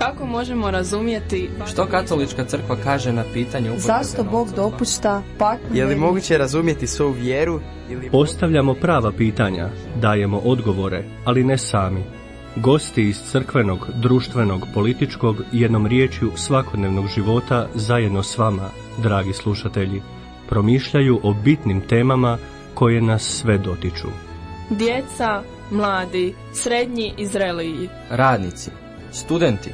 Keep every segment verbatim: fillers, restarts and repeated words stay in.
Kako možemo razumjeti što katolička crkva kaže na pitanje upotrebe zašto Bog dopušta patnju? Je li moguće razumjeti svoju vjeru? Ili... Postavljamo prava pitanja, dajemo odgovore, ali ne sami. Gosti iz crkvenog, društvenog, političkog i jednom riječju svakodnevnog života zajedno s vama, dragi slušatelji, promišljaju o bitnim temama koje nas sve dotiču. Djeca, mladi, srednji i zreliji, radnici, studenti,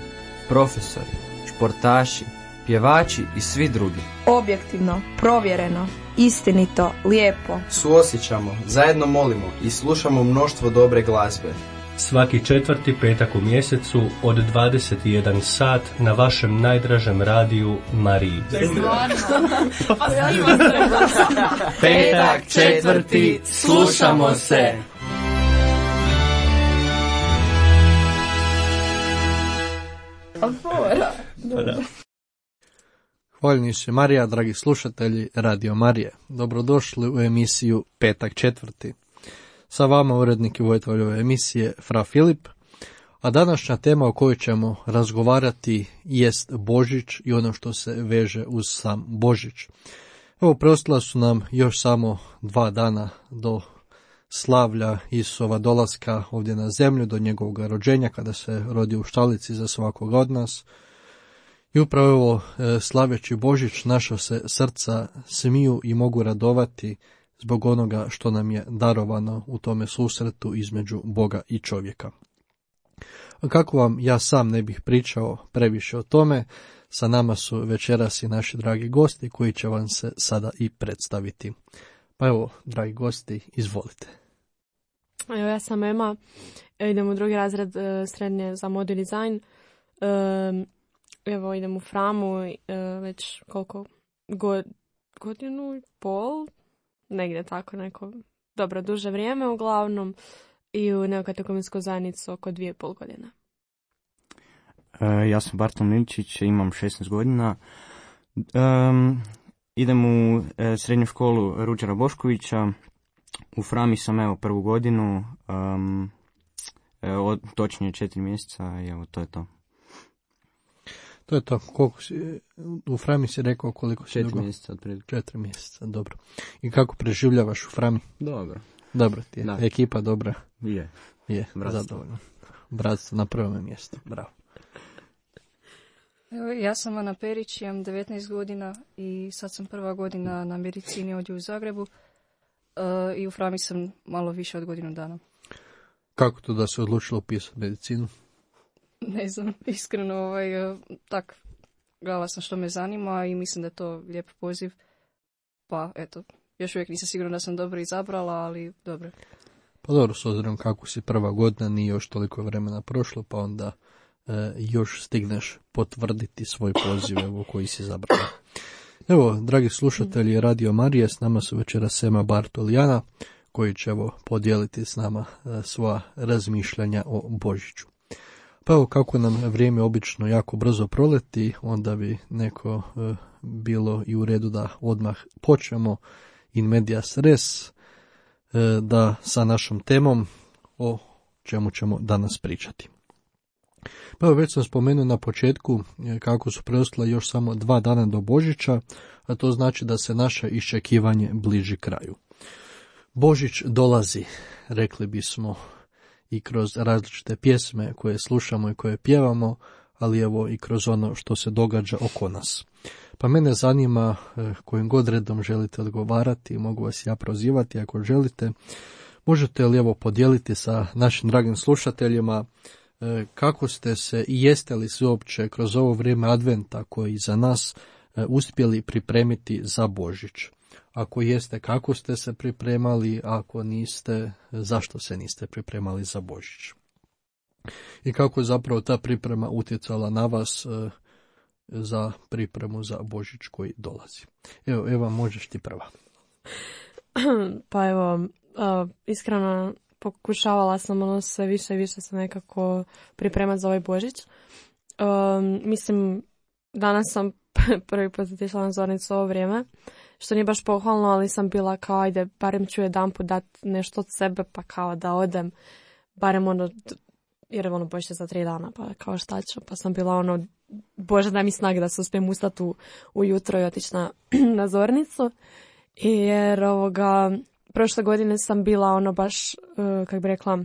profesori, športaši, pjevači i svi drugi. Objektivno, provjereno, istinito, lijepo. Suosjećamo, zajedno molimo i slušamo mnoštvo dobre glazbe. Svaki četvrti petak u mjesecu od dvadeset jedan sat na vašem najdražem radiju Mariji. Petak četvrti, slušamo se. Hvaljeni se Marija, dragi slušatelji Radio Marije. Dobrodošli u emisiju Petak četvrti. Sa vama urednik i voditelj ove emisije Fra Filip, a današnja tema o kojoj ćemo razgovarati jest Božić i ono što se veže uz sam Božić. Evo, preostala su nam još samo dva dana do slavlja Isusova dolaska ovdje na zemlju, do njegovog rođenja kada se rodi u štalici za svakog od nas. I upravo evo, slaveći Božić, naša se srca smiju i mogu radovati zbog onoga što nam je darovano u tome susretu između Boga i čovjeka. A kako vam ja sam ne bih pričao previše o tome, sa nama su večeras i naši dragi gosti koji će vam se sada i predstaviti. Pa evo, dragi gosti, izvolite. Evo, ja sam Ema, idem u drugi razred srednje za mod i dizajn. Evo, idem u Framu već koliko god, godinu i pol, negdje tako neko dobro duže vrijeme uglavnom, i u neokatekumenskoj zajednici oko dvije i pol godine. E, ja sam Bartol Miličić, imam šesnaest godina. Um, idem u e, srednju školu Ruđera Boškovića. U Frami sam evo prvu godinu, um, e, od, točnije četiri mjeseca i evo to je to. To je to. Koliko si, u Frami si rekao koliko si četiri dugo? mjeseca otprilike. Četiri mjeseca, dobro. I kako preživljavaš u Frami? Dobro. Dobro ti je. Da. Ekipa dobra? Je. Je, Bratstvo. zadovoljno. Bratstvo na prvom mjestu, bravo. Evo, ja sam Ana Perić, imam devetnaest godina i sad sam prva godina na medicini ovdje u Zagrebu uh, i u Frami sam malo više od godinu dana. Kako to da se odlučilo upisati medicinu? Ne znam, iskreno, ovaj, uh, tak, gledala sam što me zanima i mislim da je to lijep poziv, pa eto, još uvijek nisam sigurna da sam dobro izabrala, ali dobro. Pa dobro, s obzirom kako si prva godina, nije još toliko vremena prošlo, pa onda e, još stigneš potvrditi svoj poziv evo, koji si izabrala. Evo, dragi slušatelji Radio Marije, s nama su večeras Sema Bartol i Ana, koji će evo podijeliti s nama e, svoja razmišljanja o Božiću. Pa evo, kako nam vrijeme obično jako brzo proleti, onda bi neko e, bilo i u redu da odmah počnemo in medias res, e, da sa našom temom o čemu ćemo danas pričati. Pa evo, već sam spomenuo na početku e, kako su preostala još samo dva dana do Božića, a to znači da se naše iščekivanje bliži kraju. Božić dolazi, rekli bismo, i kroz različite pjesme koje slušamo i koje pjevamo, ali evo i kroz ono što se događa oko nas. Pa mene zanima, kojim god redom želite odgovarati, mogu vas ja prozivati ako želite, možete li evo podijeliti sa našim dragim slušateljima kako ste se i jeste li se uopće kroz ovo vrijeme adventa koji za nas uspjeli pripremiti za Božić. Ako jeste, kako ste se pripremali, ako niste, zašto se niste pripremali za Božić. I kako je zapravo ta priprema utjecala na vas e, za pripremu za Božić koji dolazi. Evo, Eva, možeš ti prva. Pa evo, uh, iskreno pokušavala sam ono sve više i više se nekako pripremati za ovaj Božić. Um, mislim, danas sam prvi put otišla na zornicu ovo vrijeme, što nije baš pohvalno, ali sam bila kao, ajde, barem ću jedan put dati nešto od sebe, pa kao da odem, barem ono jer je ono Božić za tri dana, pa kao šta ću, pa sam bila ono, Bože daj mi snage da se uspijem ustati u, ujutro i otići na, na zornicu, jer ovoga, prošle godine sam bila ono baš, uh, kako bi rekla, uh,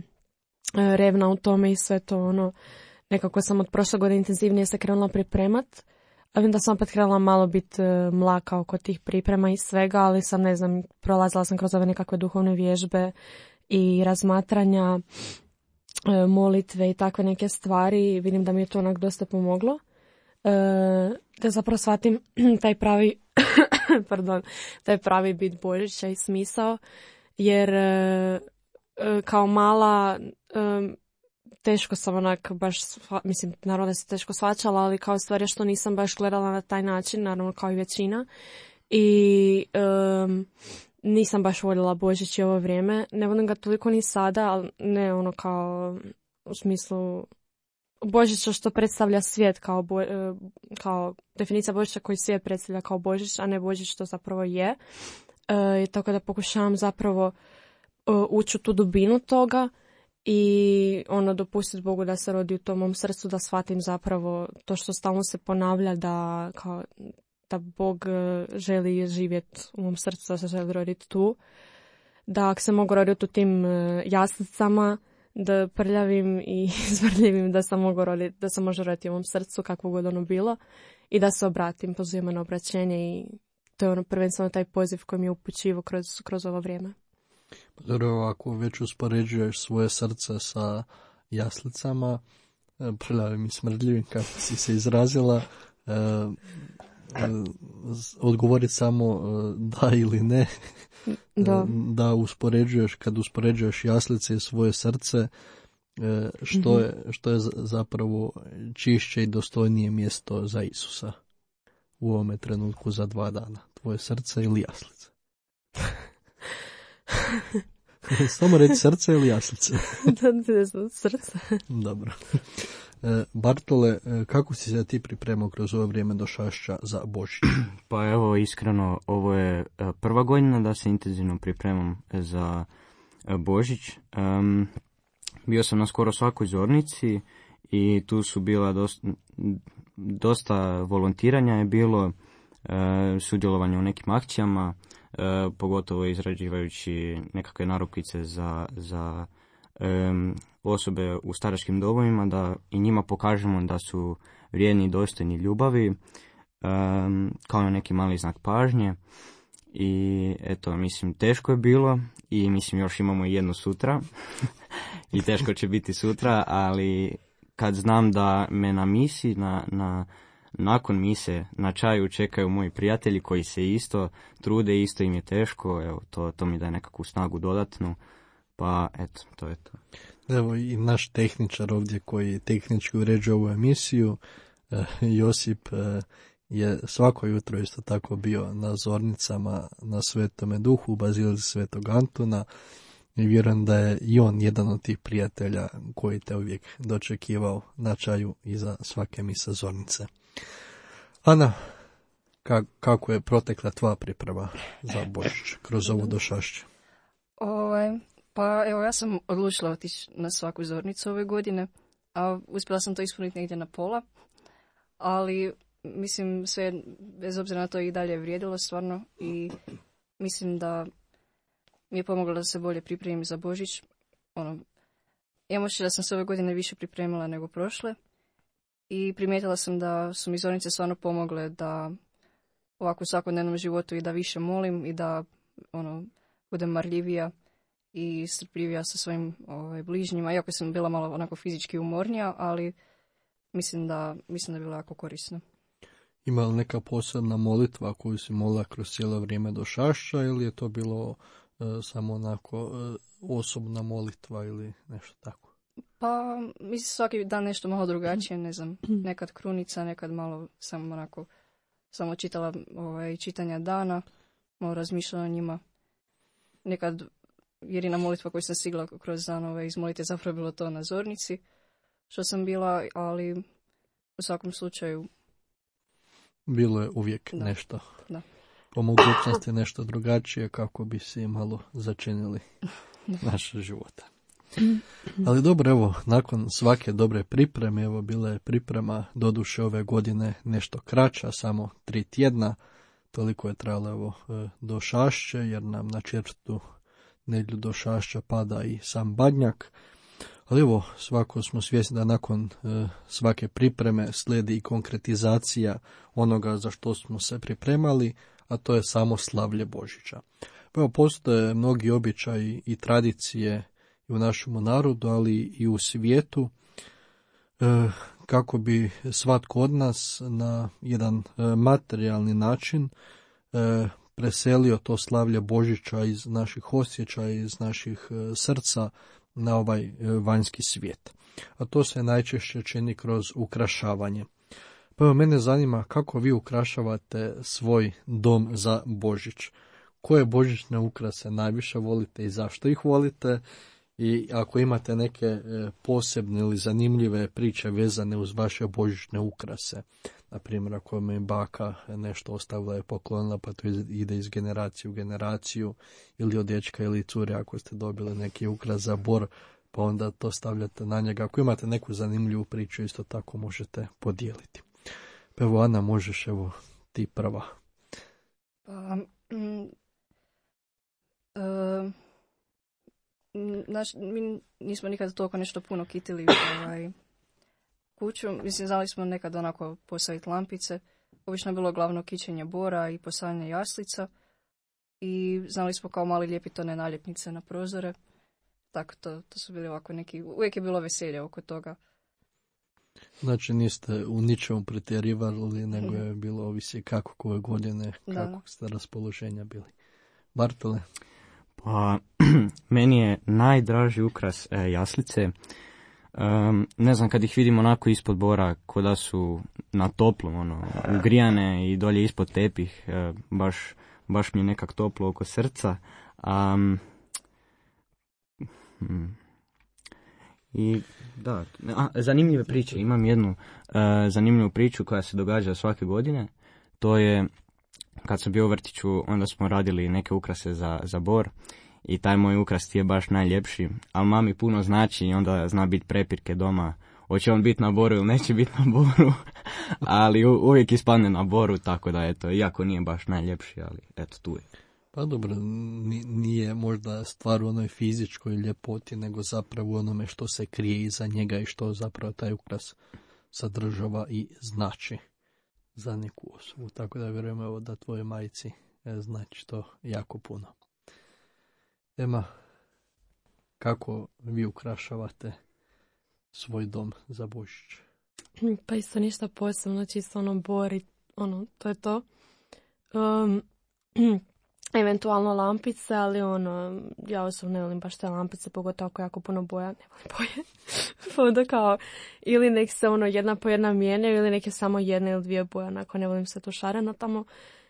revna u tome i sve to ono, nekako sam od prošle godine intenzivnije se krenula pripremat, a vidim da sam opet krenula malo biti uh, mlaka oko tih priprema i svega, ali sam, ne znam, prolazila sam kroz ove nekakve duhovne vježbe i razmatranja, uh, molitve i takve neke stvari. Vidim da mi je to onak dosta pomoglo. Uh, da zapravo shvatim taj pravi, pardon, taj pravi bit Božića i smisao, jer uh, uh, kao mala um, teško sam onak baš, mislim, naravno da se teško shvaćala, ali kao stvar je što nisam baš gledala na taj način, naravno kao i većina. I um, nisam baš voljela Božić i ovo vrijeme. Ne volim ga toliko ni sada, ali ne ono kao u smislu Božića što predstavlja svijet kao, bo, kao definicija Božića koji svijet predstavlja kao Božić, a ne Božić što zapravo je. E, tako da pokušavam zapravo uh, ući u tu dubinu toga i ono dopustiti Bogu da se rodi u tom mom srcu, da shvatim zapravo to što stalno se ponavlja, da kao da Bog želi živjeti u mom srcu, da se želi roditi tu, da ako se mogu roditi u tim jaslicama, da prljavim i izvrljivim, da sam mogu roditi, da se može roditi u mom srcu kakvo god ono bilo i da se obratim, pozivam na obraćenje i to je ono prvenstveno taj poziv koji mi je upućivo kroz, kroz ovo vrijeme. Dobro, ako već uspoređuješ svoje srce sa jaslicama, prljavim i smrdljivim, kako si se izrazila, e, e, odgovoriti samo da ili ne, da, da uspoređuješ, kad uspoređuješ jaslice i svoje srce, e, što, je, što je zapravo čišće i dostojnije mjesto za Isusa u ovome trenutku za dva dana, tvoje srce ili jaslice? Samo reći srce ili jaslice? Srce. Dobro. E, Bartole, kako si se ti pripremao kroz ovo vrijeme došašća za Božić? Pa evo, iskreno, ovo je prva godina da se intenzivno pripremam za Božić. Um, bio sam na skoro svakoj zornici i tu su bila dosta, dosta volontiranja je bilo, uh, sudjelovanje u nekim akcijama, uh, pogotovo izrađivajući nekakve narukvice za, za um, osobe u staračkim domovima, da i njima pokažemo da su vrijedni i dostojni ljubavi, um, kao na neki mali znak pažnje. I eto, mislim, teško je bilo i mislim još imamo jedno sutra i teško će biti sutra, ali kad znam da me na misi, na, na, nakon mise, na čaju čekaju moji prijatelji koji se isto trude, isto im je teško, evo, to, to mi daje nekakvu snagu dodatnu, pa eto, to je to. Evo i naš tehničar ovdje koji tehnički uređuje ovu emisiju, eh, Josip, eh, je svako jutro isto tako bio na zornicama na Svetome Duhu u Bazilici Svetog Antuna i vjerujem da je i on jedan od tih prijatelja koji te uvijek dočekivao na čaju iza svake mise zornice. Ana, ka- kako je protekla tvoja priprema za Božić kroz ovu došašću? Ovaj, pa evo, ja sam odlučila otići na svaku zornicu ove godine, a uspjela sam to ispuniti negdje na pola, ali mislim sve, bez obzira na to i dalje je vrijedilo stvarno i mislim da mi je pomoglo da se bolje pripremim za Božić. Ono, imam osjećaj da sam se ove godine više pripremila nego prošle i primijetila sam da su mi zornice stvarno pomogle da ovako u svakodnevnom životu i da više molim i da ono, budem marljivija i strpljivija sa svojim ovaj, bližnjima, iako sam bila malo onako fizički umornija, ali mislim da, mislim da je bilo jako korisno. Ima li neka posebna molitva koju si molila kroz cijelo vrijeme došašća ili je to bilo e, samo onako e, osobna molitva ili nešto tako? Pa mislim svaki dan nešto malo drugačije, ne znam, nekad krunica, nekad malo sam onako samo čitala ovaj, čitanja dana, malo razmišljala o njima. Nekad jedina molitva koju sam stigla kroz dan ovaj, izmolite zapravo bilo to na zornici, što sam bila, ali u svakom slučaju bilo je uvijek da. nešto. Da. Po mogućnosti nešto drugačije kako bi si malo začinili naše života. Ali dobro, evo, nakon svake dobre pripreme, evo, bila je priprema doduše ove godine nešto kraća, samo tri tjedna, toliko je trajalo evo, do Šašće, jer nam na četvrtu nedjelju do Šašća pada i sam Badnjak. Ali evo, svako smo svjesni da nakon e, svake pripreme slijedi i konkretizacija onoga za što smo se pripremali, a to je samo slavlje Božića. Evo, postoje mnogi običaji i tradicije i u našem narodu, ali i u svijetu, e, kako bi svatko od nas na jedan e, materijalni način e, preselio to slavlje Božića iz naših osjećaja, iz naših e, srca na ovaj e, vanjski svijet. A to se najčešće čini kroz ukrašavanje. Pa evo, mene zanima kako vi ukrašavate svoj dom za Božić. Koje božićne ukrase najviše volite i zašto ih volite? I ako imate neke e, posebne ili zanimljive priče vezane uz vaše božićne ukrase, na primjer ako mi baka nešto ostavila je poklonila pa to ide iz generacije u generaciju, ili od dječka ili cure ako ste dobili neki ukras za Bor, pa onda to stavljate na njega. Ako imate neku zanimljivu priču, isto tako možete podijeliti. Pa evo, Ana, možeš, evo, ti prva. Pa, mm, uh... Naš, mi nismo nikad toliko nešto puno kitili ovaj, kuću. Mislim, znali smo nekad onako postaviti lampice. Obično je bilo glavno kićenje bora i postavljanje jaslica. I znali smo kao mali lijepiti one naljepnice na prozore. Tako, to, to su bili ovako neki... Uvijek je bilo veselje oko toga. Znači, niste u ničemu pretjerivali, nego je bilo ovisi kako koje godine, kako da. Ste raspoloženja bili. Bartole? Pa, meni je najdraži ukras e, jaslice. Um, ne znam, kad ih vidim onako ispod bora, ko da su na toplom, ono, ugrijane i dolje ispod tepih, e, baš, baš mi je nekak toplo oko srca. Um, hmm. I da, a, zanimljive priče. Imam jednu uh, zanimljivu priču koja se događa svake godine. To je, kad sam bio u vrtiću, onda smo radili neke ukrase za, za Bor i taj moj ukras ti je baš najljepši, ali mami puno znači i onda zna biti prepirke doma. Hoće on biti na Boru ili neće biti na Boru, ali u, uvijek ispadne na Boru, tako da eto, iako nije baš najljepši, ali eto, tu je. Pa dobro, nije možda stvar u onoj fizičkoj ljepoti, nego zapravo u onome što se krije iza njega i što zapravo taj ukras sadržava i znači za neku osobu. Tako da vjerujem evo, da tvoje majici znači to jako puno. Ema, kako vi ukrašavate svoj dom za Božić? Pa isto ništa posebno, čisto ono Bor i ono, to je to. Um, eventualno lampice, ali ono, ja osobno ne volim baš te lampice, pogotovo ako jako puno boja, ne volim boje. Pa onda kao, ili nek se ono jedna po jedna mijenjaju, ili neke samo jedna ili dvije boje, onako ne volim se to šareno tamo.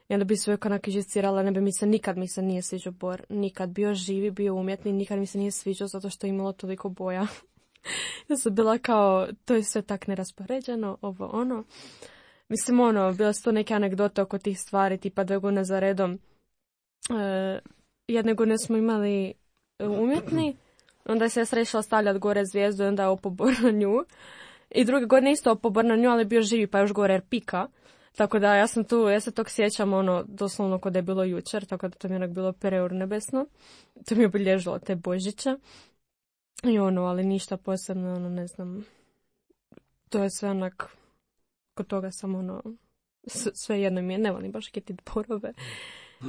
I onda bi se uvijek onako žicirala, ne bi mi se, nikad mi se nije sviđao Bor, nikad, bio živi, bio umjetni, nikad mi se nije sviđao zato što je imalo toliko boja. Ja sam bila kao, to je sve tak neraspoređeno, ovo ono. Mislim ono, bile su to neke anegdote oko tih stvari, tipa dve godine za redom. E, jedne godine smo imali umjetni, onda je sestra išla stavljati gore zvijezdu i onda je opobor na nju. I druge godine isto opobor na nju, ali bio živi pa još gore jer pika. Tako da ja sam tu, ja se tog sjećam ono, doslovno kod je bilo jučer, tako da to mi je onak bilo preurnebesno. To mi je obilježilo te Božiće. I ono, ali ništa posebno, ono, ne znam. To je sve onak, kod toga sam ono, sve jedno mi je, ne volim baš kititi borove.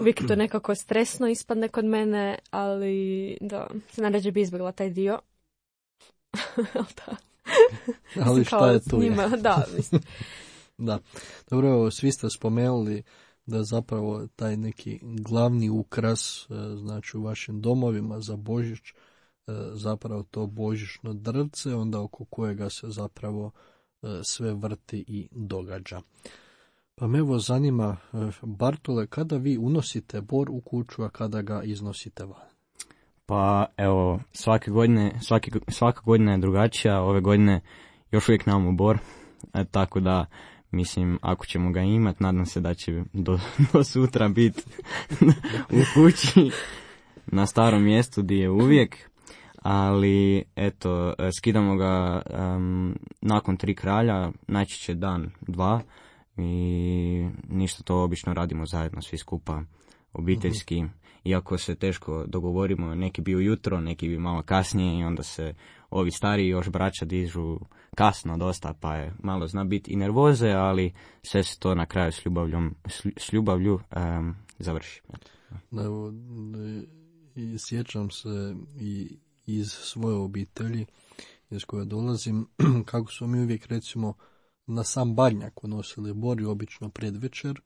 Uvijek je to nekako stresno ispadne kod mene, ali da, se naređe bi izbjegla taj dio. ali da. ali šta je tu? Njima, da, mislim. Da, dobro, evo, svi ste spomenuli da zapravo taj neki glavni ukras, znači u vašim domovima za Božić, zapravo to božićno drvce, onda oko kojega se zapravo sve vrti i događa. Pa me evo zanima, Bartole, kada vi unosite Bor u kuću, a kada ga iznosite van? Pa evo, svake godine, svaki, svaka godina je drugačija, ove godine još uvijek nemamo Bor, e, tako da mislim, ako ćemo ga imati, nadam se da će do, do sutra biti u kući na starom mjestu gdje je uvijek. ali eto, skidamo ga um, nakon tri kralja, najčešće dan, dva, i ništa, to obično radimo zajedno svi skupa, obiteljski, mm-hmm. iako se teško dogovorimo, neki bi ujutro, neki bi malo kasnije i onda se ovi stariji još braća dižu kasno dosta, pa je malo zna biti i nervoze, ali sve se to na kraju s ljubavljom, s ljubavlju um, završi. Evo, i sjećam se i iz svoje obitelji iz koje dolazim, kako smo mi uvijek recimo na sam Badnjak unosili bor i obično predvečer,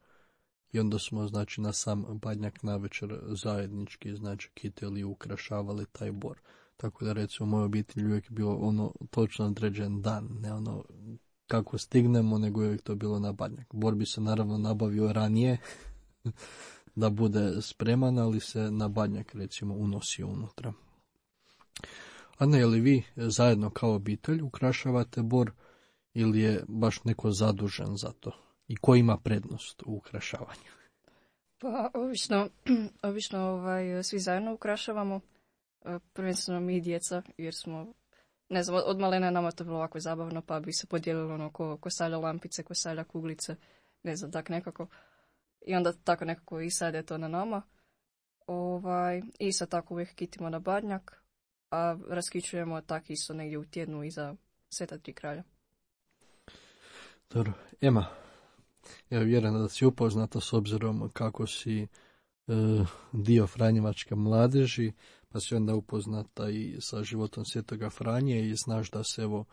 i onda smo znači na sam Badnjak navečer zajednički znači kiteli ukrašavali taj bor. Tako da recimo u mojoj obitelji uvijek bilo ono točno određen dan, ne ono kako stignemo, nego uvijek to bilo na Badnjak. Bor bi se naravno nabavio ranije da bude spreman, ali se na Badnjak recimo unosio unutra. A ne, je li vi zajedno kao obitelj ukrašavate bor ili je baš neko zadužen za to? I ko ima prednost u ukrašavanju? Pa, obično, obično ovaj, svi zajedno ukrašavamo. Prvenstveno mi i djeca, jer smo, ne znam, od malena nama to bilo ovako zabavno, pa bi se podijelilo ono ko, ko stavlja lampice, ko stavlja kuglice, ne znam, tak nekako. I onda tako nekako i sad je to na nama. Ovaj, I sad tako uvijek kitimo na Badnjak, a raskićujemo tak isto negdje u tjednu iza Sveta tri kralja. Dobro, Ema, ja vjerujem da si upoznata s obzirom kako si e, dio Franjevačke mladeži, pa si onda upoznata i sa životom Svetoga Franje i znaš da se evo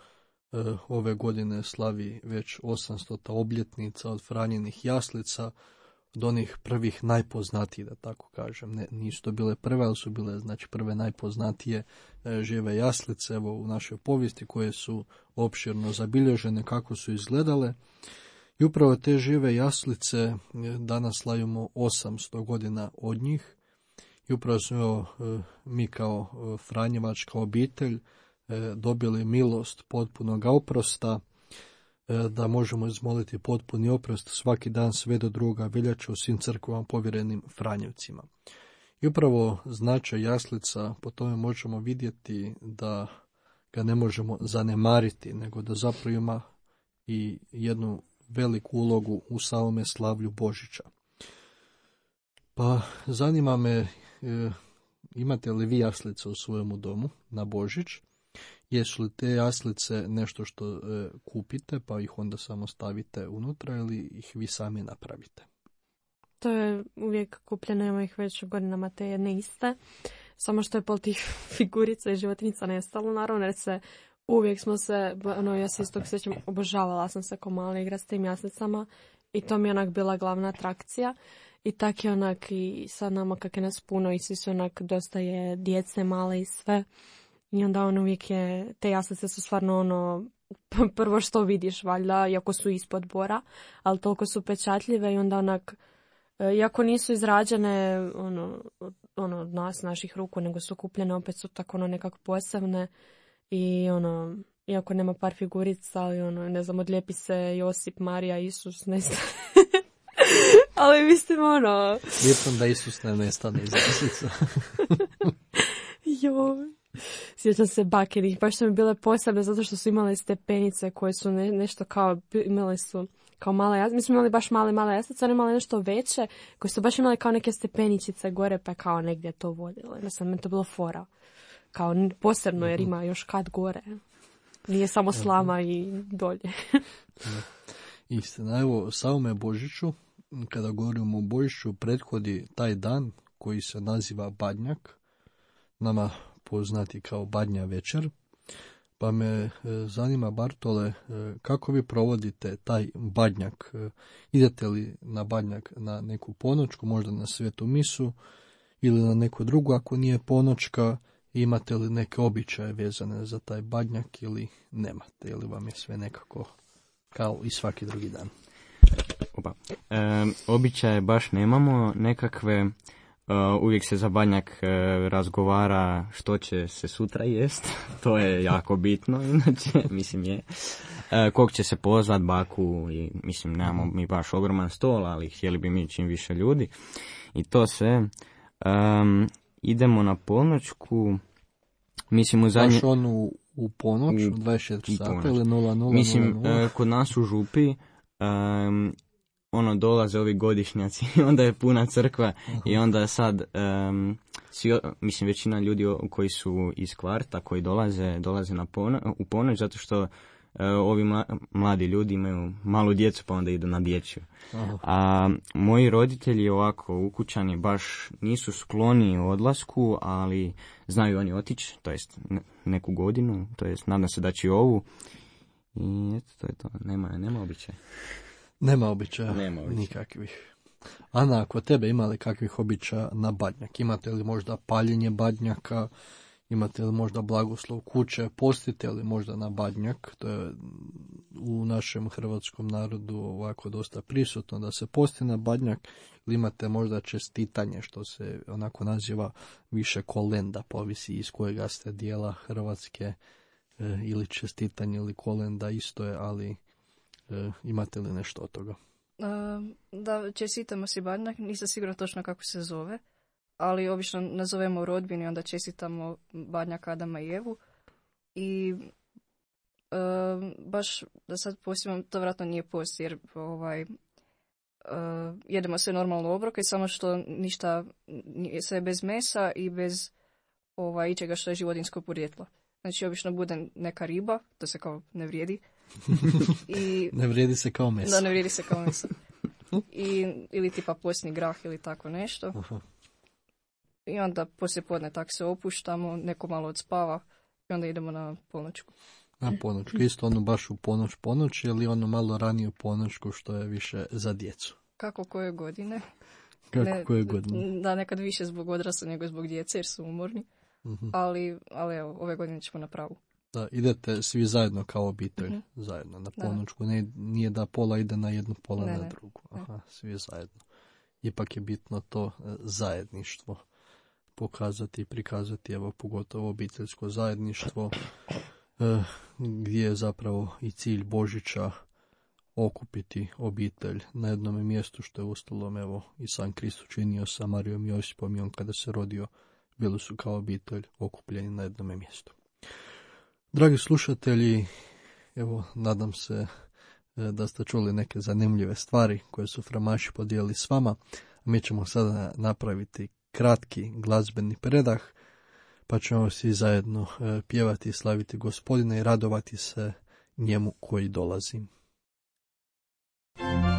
e, ove godine slavi već osamstota obljetnica od Franjenih jaslica, od onih prvih najpoznatijih, da tako kažem. Ne, nisu to bile prve, ali su bile znači prve najpoznatije e, žive jaslice evo u našoj povijesti, koje su opširno zabilježene kako su izgledale. I upravo te žive jaslice e, danas slavimo osamsto godina od njih. I upravo smo evo, e, mi kao e, Franjevačka obitelj e, dobili milost potpunog oprosta, da možemo izmoliti potpuni oprost svaki dan sve do druga veljače u svim crkvama povjerenim Franjevcima. I upravo značaj jaslica po tome možemo vidjeti da ga ne možemo zanemariti, nego da zapravo ima i jednu veliku ulogu u samome slavlju Božića. Pa zanima me, e, imate li vi jaslice u svojemu domu na Božić? Jesu li te jaslice nešto što e, kupite pa ih onda samo stavite unutra ili ih vi sami napravite? To je uvijek kupljeno, ima ih već godinama te jedne iste. Samo što je pol tih figurica i životinjica nestalo, naravno, jer se uvijek smo se, ono, ja se iz tog sjećam, obožavala sam se ko mala igra s tim jaslicama i to mi je onak bila glavna atrakcija. I tak je onak i sad nama kak je nas puno i svi su onak dosta je djece male i sve. I onda on uvijek je, te jaslice su stvarno ono, prvo što vidiš valjda, iako su ispod bora, ali toliko su pečatljive i onda onak, iako nisu izrađene ono, ono od nas, naših ruku, nego su kupljene, opet su tako ono nekako posebne i ono, iako nema par figurica, ali ono, ne znam, odlijepi se Josip, Marija, Isus, ne znam. Ali mislim ono... Bitno da Isus ne nestane iz jaslica. Joj. Sjećam se bakinih, baš su mi bile posebne zato što su imale stepenice koje su ne, nešto kao, imali su kao male jaslice, mi smo imali baš male, male jaslice, one imale nešto veće, koje su baš imali kao neke stepeničice gore, pa kao negdje to vodilo. Jednostavno, meni to bilo fora. Kao posebno jer ima još kad gore. Nije samo slama i dolje. Istina, evo, samome Božiću, kada govorimo o Božiću, prethodi taj dan koji se naziva Badnjak, nama poznati kao Badnja večer, pa me e, zanima, Bartole, e, kako vi provodite taj Badnjak? E, idete li na Badnjak na neku ponoćku, možda na svetu misu, ili na neku drugu, ako nije ponoćka, imate li neke običaje vezane za taj Badnjak ili nemate, ili vam je sve nekako kao i svaki drugi dan? Opa. E, običaje baš nemamo, nekakve... Uh, uvijek se za Badnjak uh, razgovara što će se sutra jest, to je jako bitno, inače, mislim je. Uh, kog će se pozvat, baku, i mislim, nemamo mi baš ogroman stol, ali htjeli bi mi čim više ljudi. I to sve. Um, idemo na ponoćku, Mislim, u zadnje... Baš on u, u ponoć, u dvadeset četiri sata ili nula nula. Mislim, uh, kod nas u Župi, um, ono, dolaze ovi godišnjaci i onda je puna crkva. Aha. I onda sad, um, svi, mislim, većina ljudi koji su iz kvarta, koji dolaze, dolaze na pono, u ponoć, zato što uh, ovi mla, mladi ljudi imaju malu djecu, pa onda idu na dječju. Aha. A moji roditelji ovako ukućani baš nisu skloni odlasku, ali znaju oni otići, to jest neku godinu, to jest nadam se da će ovu. I eto, to je to, nema, nema običaja. Nema običaja, Nema običaja. Nikakvih. Ana, ako tebe ima li kakvih običaja na Badnjak? Imate li možda paljenje Badnjaka? Imate li možda blagoslov kuće? Postite li možda na Badnjak? To je u našem hrvatskom narodu ovako dosta prisutno da se posti na Badnjak. Ili imate možda čestitanje, što se onako naziva više kolenda, povisi iz kojega ste dijela Hrvatske, e, ili čestitanje ili kolenda isto je, ali E, imate li nešto od toga? Uh, da, čestitamo si Badnjak, nisam sigurna točno kako se zove, ali obično nazovemo u rodbini, onda čestitamo Badnjak Adama i Evu. I uh, baš da sad postimam, to vjerojatno nije post, jer ovaj, uh, jedemo sve normalno obroke, samo što ništa, sve bez mesa i bez ovaj, ičega što je životinjsko podrijetlo. Znači, obično bude neka riba, to se kao ne vrijedi. I, ne vrijedi se kao meso. Da, ne vrijedi se kao meso. I, ili tipa posni grah ili tako nešto. Aha. I onda poslije podne tak se opuštamo, neko malo odspava i onda idemo na ponoćku. Na ponoćku, isto ono baš u ponoć ponoć ili ono malo ranije u ponoćku što je više za djecu? Kako koje godine. Kako ne, koje godine? Da, nekad više zbog odrasla nego zbog djece jer su umorni. Uh-huh. Ali, ali evo, ove godine ćemo na pravu. Da, idete svi zajedno kao obitelj, uh-huh. zajedno na ponoćku. Ne, nije da pola ide na jednu, pola ne, na drugu. Aha, ne. Svi zajedno. Ipak je bitno to zajedništvo pokazati i prikazati, evo pogotovo obiteljsko zajedništvo, eh, gdje je zapravo i cilj Božića okupiti obitelj na jednom mjestu, što je ustalom evo i sam Krist učinio sa Marijom i Josipom, i on kada se rodio bili su kao obitelj okupljeni na jednom mjestu. Dragi slušatelji, evo nadam se da ste čuli neke zanimljive stvari koje su Framaši podijelili s vama. Mi ćemo sada napraviti kratki glazbeni predah, pa ćemo svi zajedno pjevati i slaviti Gospodina i radovati se njemu koji dolazi. Oh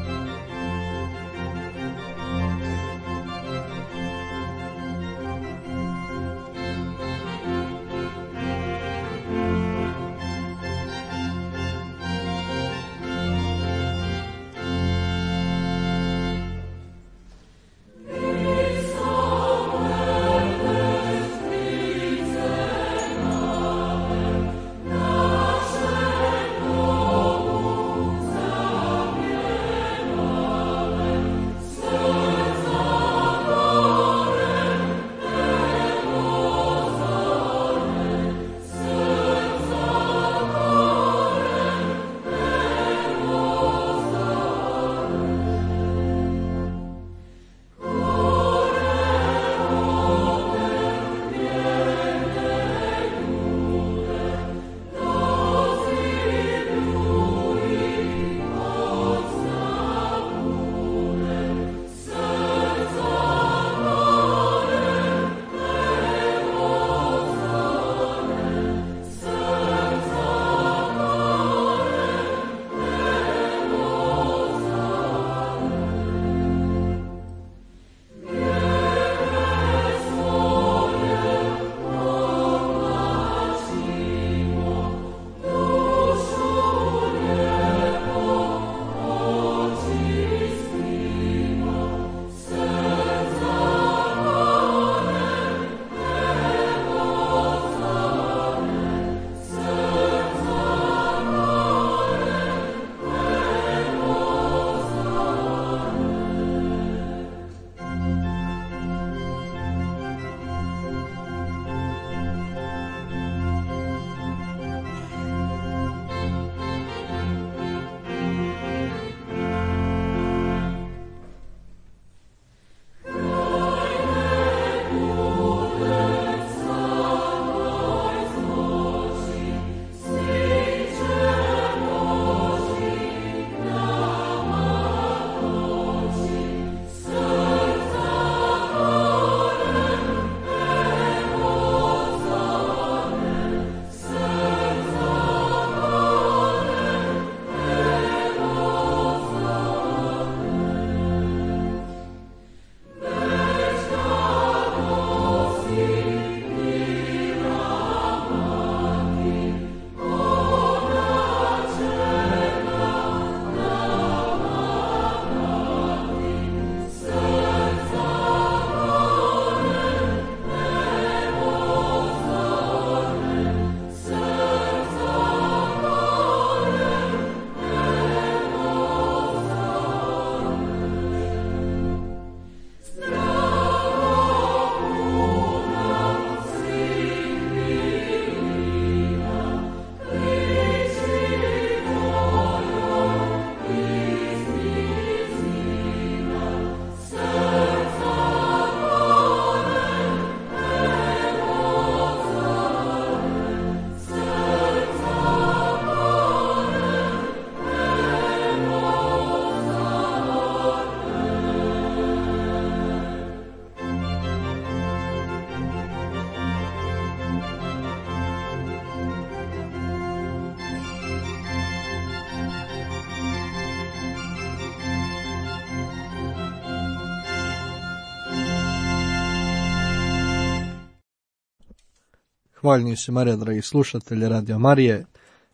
Hvaljeni se Marija, dragi slušatelji Radio Marije.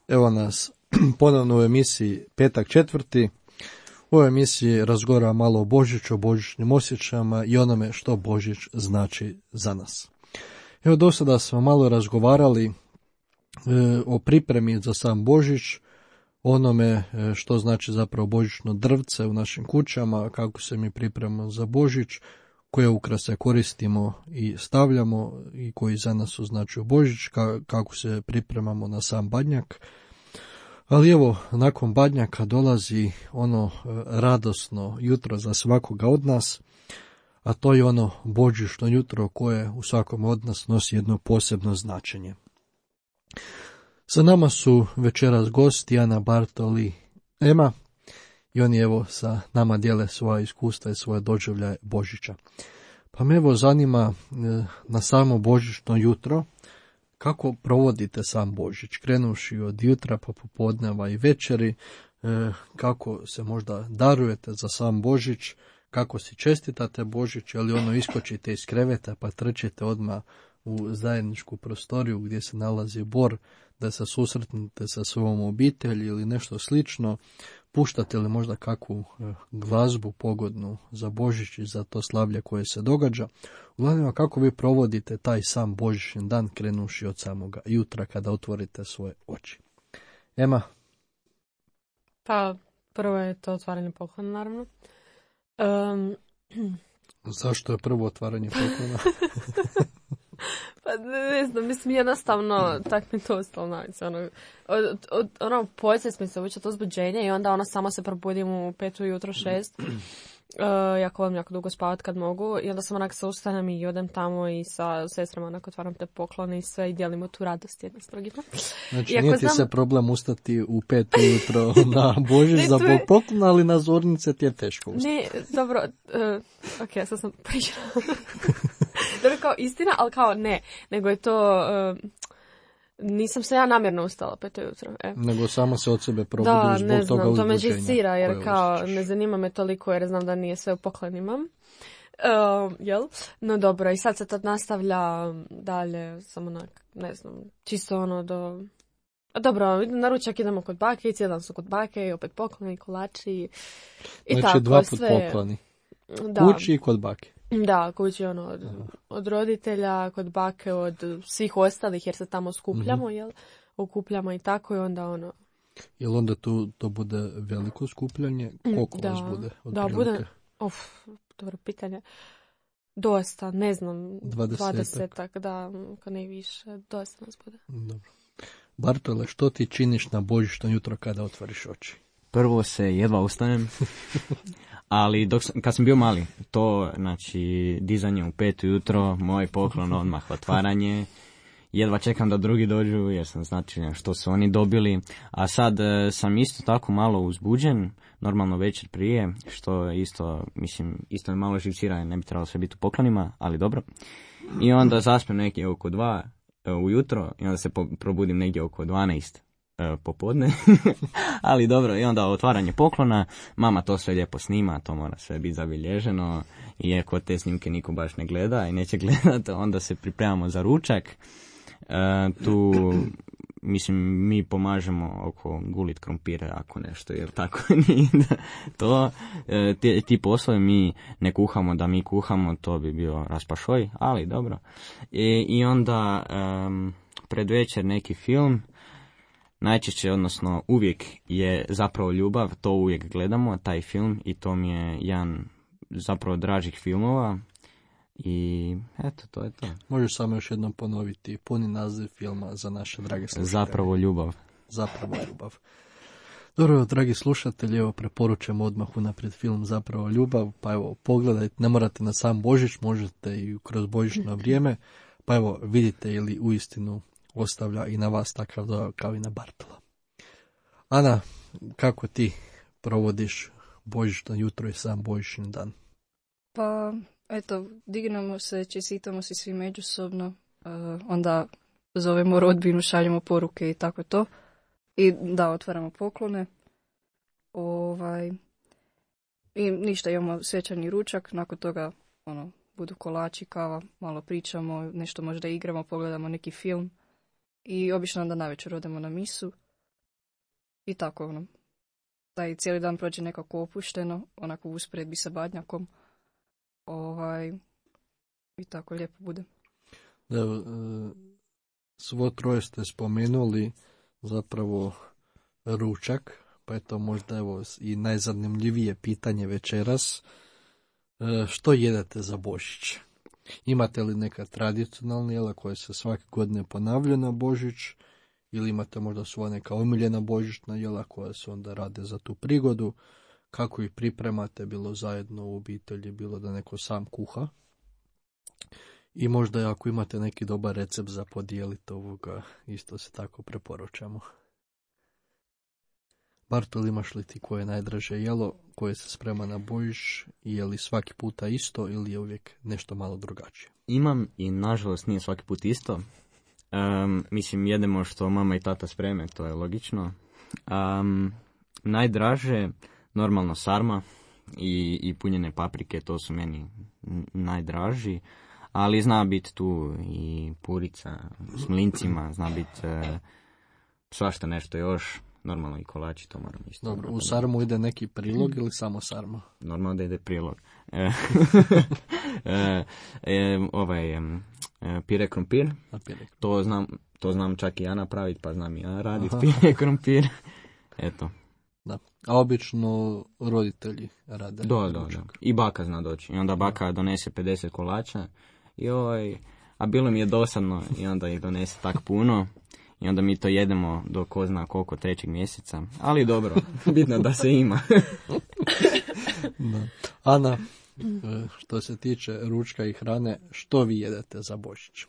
Evo nas ponovno u emisiji Petak četvrti. U ovoj emisiji razgovara malo o Božiću, o božićnim osjećajima i onome što Božić znači za nas. Evo, do sada smo malo razgovarali e, o pripremi za sam Božić, onome e, što znači zapravo božićno drvce u našim kućama, kako se mi pripremamo za Božić, koje ukrase koristimo i stavljamo i koji za nas označuju Božić, kako se pripremamo na sam badnjak. Ali evo, nakon badnjaka dolazi ono radosno jutro za svakoga od nas, a to je ono božićno jutro koje u svakom od nas nosi jedno posebno značenje. Sa nama su večeras gosti Ana, Bartol i Ema i oni evo sa nama dijele svoja iskustva i svoje doživljaje Božića. Pa me evo zanima na samo božićno jutro kako provodite sam Božić, krenuši od jutra pa popodneva i večeri, kako se možda darujete za sam Božić, kako si čestitate Božić, ali ono iskočite iz kreveta pa trčite odmah u zajedničku prostoriju gdje se nalazi bor, da se susretnete sa svojom obitelji ili nešto slično, puštate li možda kakvu glazbu pogodnu za Božić i za to slavlje koje se događa. Uglavnom, kako vi provodite taj sam božićni dan krenuši od samoga jutra kada otvorite svoje oči. Ema? Pa, prvo je to otvaranje poklona, naravno. Um, Zašto je prvo otvaranje poklona? Pa ne znam, mislim jednostavno, tak mi to ostalo navice, ono, od, od, ono podsjeć mi se uviće to uzbuđenje i onda ono samo se probudim u pet ujutro šest, uh, jako volim jako dugo spavat kad mogu i onda sam onak se ustanem i odem tamo i sa sestrama onak otvaram te poklone i sve i dijelimo tu radost jedna s drugima. Znači Iako nije ti znam... se problem ustati u pet ujutro na Božić za je... poklon, ali na zornice ti je teško ustati. Ne, dobro, uh, ok, sad sam pričala. Dobro, kao istina, ali kao ne, nego je to, uh, nisam se ja namjerno ustala pet ujutro. E. Nego samo se od sebe probudiš da, zbog ne toga znam, to me uzbuđenja. žicira, jer kao osjećaš. Ne zanima me toliko jer znam da nije sve u poklenima. Uh, jel? No dobro, i sad se to nastavlja dalje, samo onak, ne znam, čisto ono do... A dobro, na ručak idemo kod bake i cijeli dan su kod bake i opet pokloni, kolači i znači, tako. dva put sve... pokloni. Da. Kući i kod bake. Da, kući ono od, od roditelja, kod bake, od svih ostalih jer se tamo skupljamo, mm-hmm. jel? Okupljamo i tako i onda ono... Jel onda tu to bude veliko skupljanje? Koliko da, vas bude? Da, bude... Uf, dobro pitanje. Dosta, ne znam, dvadesetak, da, kad ne više, dosta nas bude. Dobro. Bartole, što ti činiš na božićno jutro kada otvoriš oči? Prvo se jedva ustanem, ali dok sam, kad sam bio mali, to, znači, dizanje u pet ujutro, moj poklon, odmah otvaranje, jedva čekam da drugi dođu jer sam znači što su oni dobili, a sad e, sam isto tako malo uzbuđen, normalno večer prije, što isto, mislim, isto me malo živcira, ne bi trebalo sve biti u poklonima, ali dobro. I onda zaspem negdje oko dva e, ujutro i onda se po, probudim negdje oko dvanaest e, popodne, ali dobro, i onda otvaranje poklona, mama to sve lijepo snima, to mora sve biti zabilježeno, iako te snimke niko baš ne gleda i neće gledati, onda se pripremamo za ručak. E, tu, mislim, mi pomažemo oko gulit krompire, ako nešto, jer tako nije to. E, ti, ti poslovi mi ne kuhamo da mi kuhamo, to bi bio raspašoj, ali dobro. E, I onda um, pred večer neki film, najčešće, odnosno uvijek je zapravo ljubav, to uvijek gledamo, taj film, i to mi je jedan zapravo dražih filmova. I eto, to je to. Možeš samo još jednom ponoviti puni naziv filma za naše drage slušatelje. Zapravo ljubav. Zapravo ljubav. Dobro, dragi slušatelji, evo preporučujem odmah unaprijed film Zapravo ljubav, pa evo pogledajte, ne morate na sam Božić, možete i kroz božićno vrijeme, pa evo vidite ili uistinu ostavlja i na vas takav dojam kao i na Bartola. Ana, kako ti provodiš božićno jutro i sam božićni dan? Pa, eto, dignemo se, čestitamo se svi međusobno, uh, onda zovemo rodbinu, šaljemo poruke i tako to. I da, otvaramo poklone. Ovaj, I ništa, imamo svečani ručak, nakon toga ono, budu kolači, kava, malo pričamo, nešto možda igramo, pogledamo neki film i obično onda navečer odemo na misu i tako ono. Taj cijeli dan prođe nekako opušteno, onako u usporedbi sa badnjakom. Ovaj, i tako lijepo bude. Evo, svo troje ste spomenuli zapravo ručak, pa je to možda evo i najzanimljivije pitanje večeras. Što jedete za Božić? Imate li neka tradicionalna jela koja se svake godine ponavlja na Božić? Ili imate možda svoja neka omiljena božićna jela koja se onda rade za tu prigodu? Kako ih pripremate, bilo zajedno u obitelji, bilo da neko sam kuha? I možda ako imate neki dobar recept za podijeliti ovoga, isto se tako preporučamo. Bartol, imaš li ti koje je najdraže jelo koje se sprema na Božić i je li svaki puta isto ili je uvijek nešto malo drugačije? Imam i nažalost nije svaki put isto. Um, mislim, jedemo što mama i tata spreme, to je logično. Um, najdraže, normalno sarma i, i punjene paprike, to su meni najdraži. Ali zna biti tu i purica s mlincima, zna biti uh, svašta nešto još. Normalno i kolači, to moram isto. Dobro, u sarmu ide neki prilog ili samo sarma? Normalno da ide prilog. E, e, e, ovaj, e, pire krompir, to znam, to znam čak i ja napraviti, pa znam i ja raditi pire krompir. Eto. Da. A obično roditelji rade? Da, da, da. I baka zna doći. I onda baka donese pedeset kolača. I ovaj, a bilo mi je dosadno i onda ih donese tak puno. I onda mi to jedemo do ko zna koliko trećeg mjeseca. Ali dobro, bitno da se ima. Da. Ana, što se tiče ručka i hrane, što vi jedete za Božić?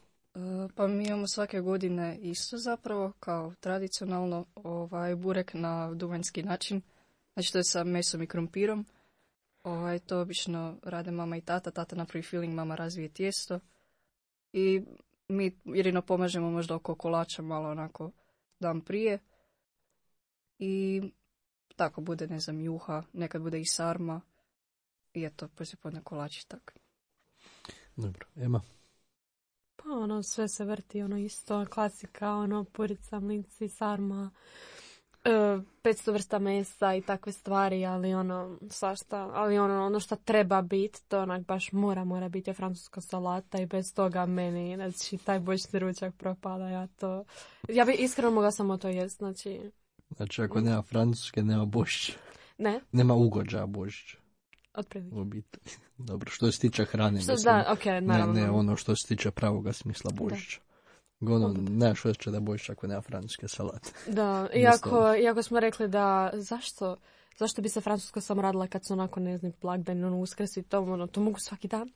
Pa mi imamo svake godine isto zapravo, kao tradicionalno, ovaj burek na duvanjski način. Znači to je sa mesom i krompirom. Ovaj, to obično rade mama i tata. Tata napravi filling, mama razvije tijesto. I mi jedino pomažemo možda oko kolača malo onako dan prije. I tako bude, ne znam, juha, nekad bude i sarma. I eto, poslijepodne kolači tak. Dobro, Ema? Pa ono, sve se vrti, ono isto, klasika, ono, purica, mlinci, sarma, e, petsto vrsta mesa i takve stvari, ali ono, svašta, ali ono, ono što treba biti, to onak baš mora, mora biti je francuska salata i bez toga meni, znači, taj božićni ručak propada, ja to, ja bi iskreno mogla samo to jest, znači. Znači, ako nema francuske, nema Božić. Ne. Nema ugođaja Božić. Otprilike. U biti. Dobro, što se tiče hrane, što, mislim, da, okay, naravno. ne, ne ono što se tiče pravoga smisla Božića. Ono, nemaš osjećaj da Božić ako nema francuske salate. Da, iako, iako smo rekli da, zašto, zašto bi se francuska samo radila kad su onako, ne znam, blagdani, ono, uskrs i to, ono, to mogu svaki dan.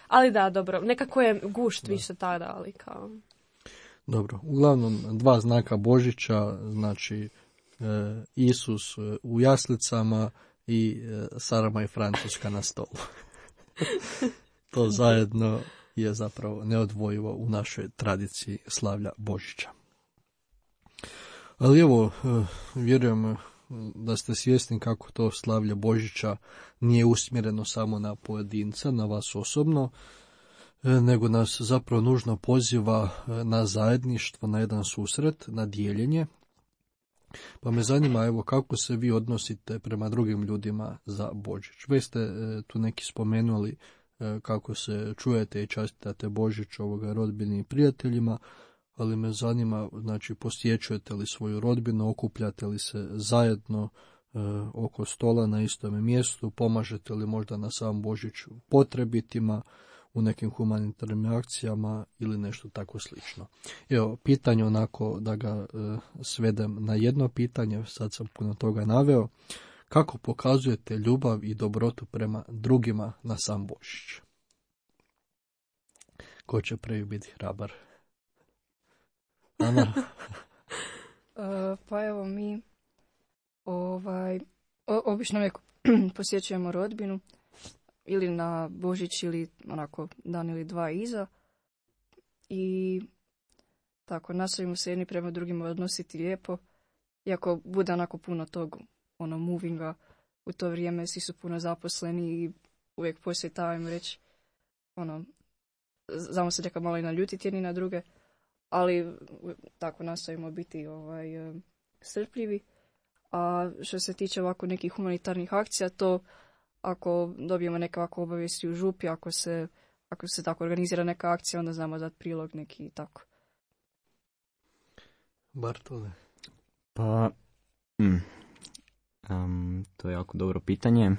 Ali da, dobro, nekako je gušt da. Više tada, ali kao... Dobro, uglavnom, dva znaka Božića, znači, e, Isus u jaslicama i e, sarma i francuska na stolu. To zajedno je zapravo neodvojivo u našoj tradiciji slavlja Božića. Ali evo, vjerujem da ste svjesni kako to slavlje Božića nije usmjereno samo na pojedinca, na vas osobno, nego nas zapravo nužno poziva na zajedništvo, na jedan susret, na dijeljenje. Pa me zanima, evo, kako se vi odnosite prema drugim ljudima za Božić. Već ste tu neki spomenuli kako se čujete i častitate Božić ovoga rodbini i prijateljima, ali me zanima, znači, posjećujete li svoju rodbinu, okupljate li se zajedno e, oko stola na istome mjestu, pomažete li možda na sam Božić potrebitima, u nekim humanitarnim akcijama ili nešto tako slično. Evo, pitanje onako da ga e, svedem na jedno pitanje, sad sam puno toga naveo. Kako pokazujete ljubav i dobrotu prema drugima na sam Božić? Ko će prvi biti hrabar? Ana? uh, pa evo mi ovaj, o, obično uvijek posjećujemo rodbinu ili na Božić ili onako dan ili dva iza i tako nastojimo se jedni prema drugima odnositi lijepo, iako bude onako puno tog ono movinga u to vrijeme, svi su puno zaposleni i uvijek poslije tajmo reći ono, znamo se neka malo i naljutiti jedni na druge, ali tako nastavimo biti ovaj, strpljivi. A što se tiče ovako nekih humanitarnih akcija, to ako dobijemo neke ovako obavijesti u župi, ako se, ako se tako organizira neka akcija, onda znamo dati prilog neki i tako. Bartole? Pa, mm, um, to je jako dobro pitanje.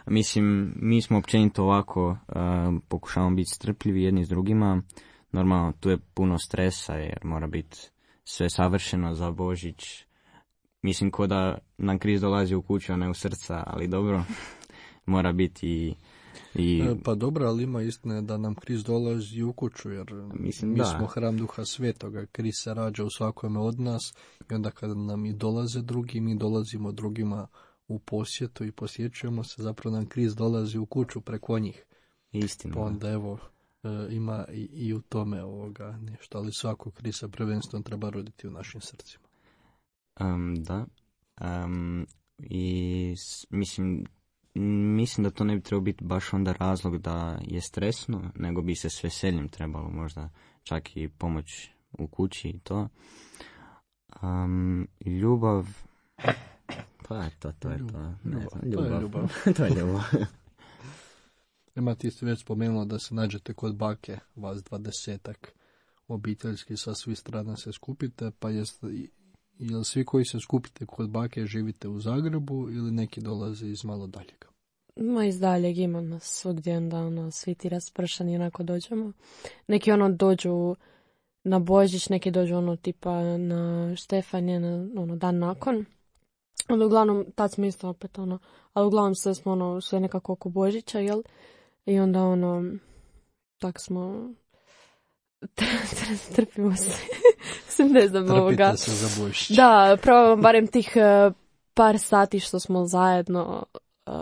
Mislim, mi smo općenito ovako, uh, pokušavamo biti strpljivi jedni s drugima. Normalno, tu je puno stresa jer mora biti sve savršeno za Božić. Mislim, ko da nam kriz dolazi u kuću, a ne u srca, ali dobro, mora biti i... i... E, pa dobro, ali ima istine da nam kriz dolazi u kuću, jer Mislim, mi da. smo hram Duha Svetoga, kriz se rađa u svakome od nas i onda kada nam i dolaze drugi, mi dolazimo drugima u posjetu i posjećujemo se, zapravo nam kriz dolazi u kuću preko njih. Istina. Pa onda evo, e, ima i, i u tome ovoga nešto, ali svako kriz se prvenstveno treba roditi u našim srcima. Um, da. Um, I s, mislim, mislim da to ne bi trebao biti baš onda razlog da je stresno, nego bi se s veseljem trebalo možda čak i pomoć u kući i to. Um, ljubav... Pa eto, to je to. Ne znam, ljubav. To je ljubav. To je ljubav. Ima, ti ste već spomenula da se nađete kod bake, vas dvadesetak obiteljski sa svih strana se skupite, pa jeste, jel svi koji se skupite kod bake živite u Zagrebu ili neki dolaze iz malo daljega? Ma iz daljeg ima nas svugdje, onda ono, svi ti raspršani onako dođemo. Neki ono dođu na Božić, neki dođu ono tipa na Štefanje, na ono, dan nakon. Onda uglavnom, tad smo isto opet ono, ali uglavnom sve smo ono, sve nekako oko Božića, jel? I onda ono, tak smo, trpimo se, sam ne znam Trpite ovoga. se za Božić. Da, probamo barem tih uh, par sati što smo zajedno, uh,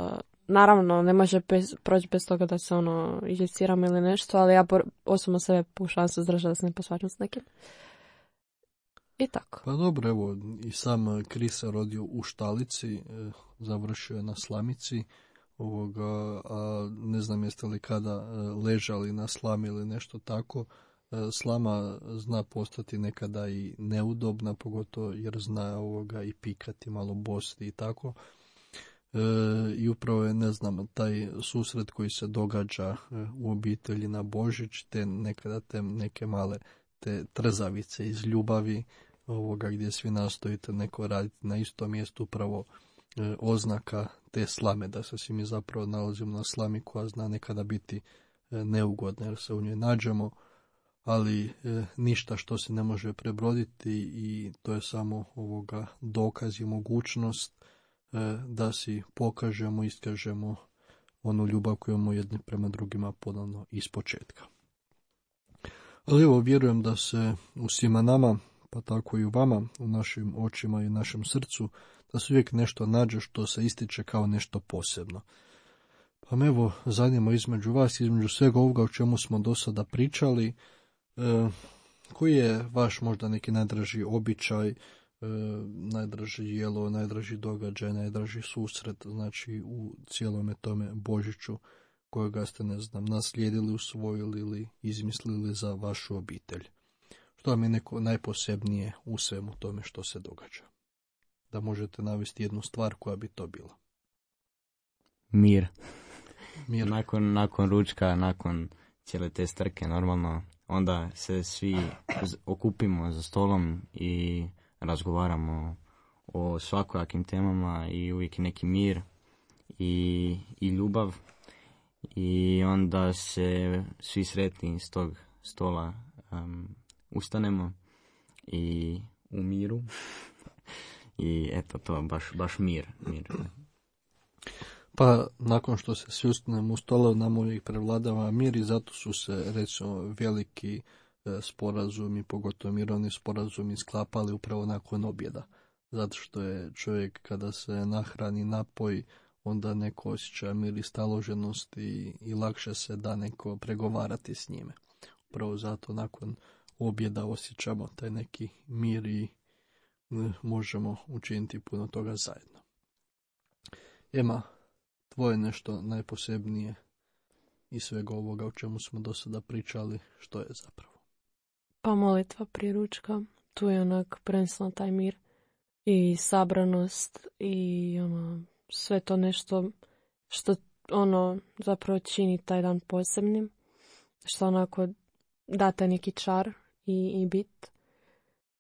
naravno ne može bez, proći bez toga da se ono izjeciramo ili nešto, ali ja por, osobno sebe pokušavam se zdržati da se ne posvađam s nekim. I tako. Pa dobro, evo, i sam Kris se rodio u Štalici, e, završio je na Slamici, ovoga, a ne znam jeste li kada e, ležali na slami ili nešto tako. E, slama zna postati nekada i neudobna, pogotovo jer zna ovoga i pikati, malo bosti i tako. E, I upravo je, ne znam, taj susret koji se događa e, u obitelji na Božić, te nekada te neke male te trzavice iz ljubavi, ovoga gdje svi nastojite neko raditi na istom mjestu, upravo e, oznaka te slame, da se svi mi zapravo nalazimo na slami koja zna nekada biti e, neugodna jer se u njoj nađemo, ali e, ništa što se ne može prebroditi i to je samo ovoga dokaz i mogućnost e, da si pokažemo, iskažemo onu ljubav koju imamo jedni prema drugima ponovno iz početka. Ali evo, vjerujem da se u svima nama, pa tako i u vama, u našim očima i našem srcu, da se uvijek nešto nađe što se ističe kao nešto posebno. Pa me evo, zanima između vas, između svega ovoga o čemu smo do sada pričali, e, koji je vaš možda neki najdraži običaj, e, najdraži jelo, najdraži događaj, najdraži susret, znači u cijelome tome Božiću, kojega ste, ne znam, naslijedili, usvojili ili izmislili za vašu obitelj. Što vam je neko najposebnije u svemu tome što se događa? Da možete navesti jednu stvar koja bi to bila. Mir. Mir. Nakon, nakon ručka, nakon cijele te strke, normalno, onda se svi okupimo za stolom i razgovaramo o svakojakim temama i uvijek neki mir i, i ljubav. I onda se svi sretni s tog stola um, ustanemo i u miru. I eto to, baš, baš mir, mir. Pa nakon što se svi ustanemo u stola, nam uvijek prevladava mir i zato su se, recimo, veliki e, sporazumi, pogotovo mirovni sporazumi, sklapali upravo nakon objeda. Zato što je čovjek kada se nahrani, napoji, onda neko osjeća mir i staloženost i, i lakše se da neko pregovarati s njime. Upravo zato nakon objeda osjećamo taj neki mir i ne, možemo učiniti puno toga zajedno. Ema, tvoje nešto najposebnije i svega ovoga o čemu smo do sada pričali, što je zapravo? Pa molitva prije ručka, tu je onak prvenstveno taj mir i sabranost i ono, sve to nešto što ono zapravo čini taj dan posebnim, što onako date neki čar i, i bit,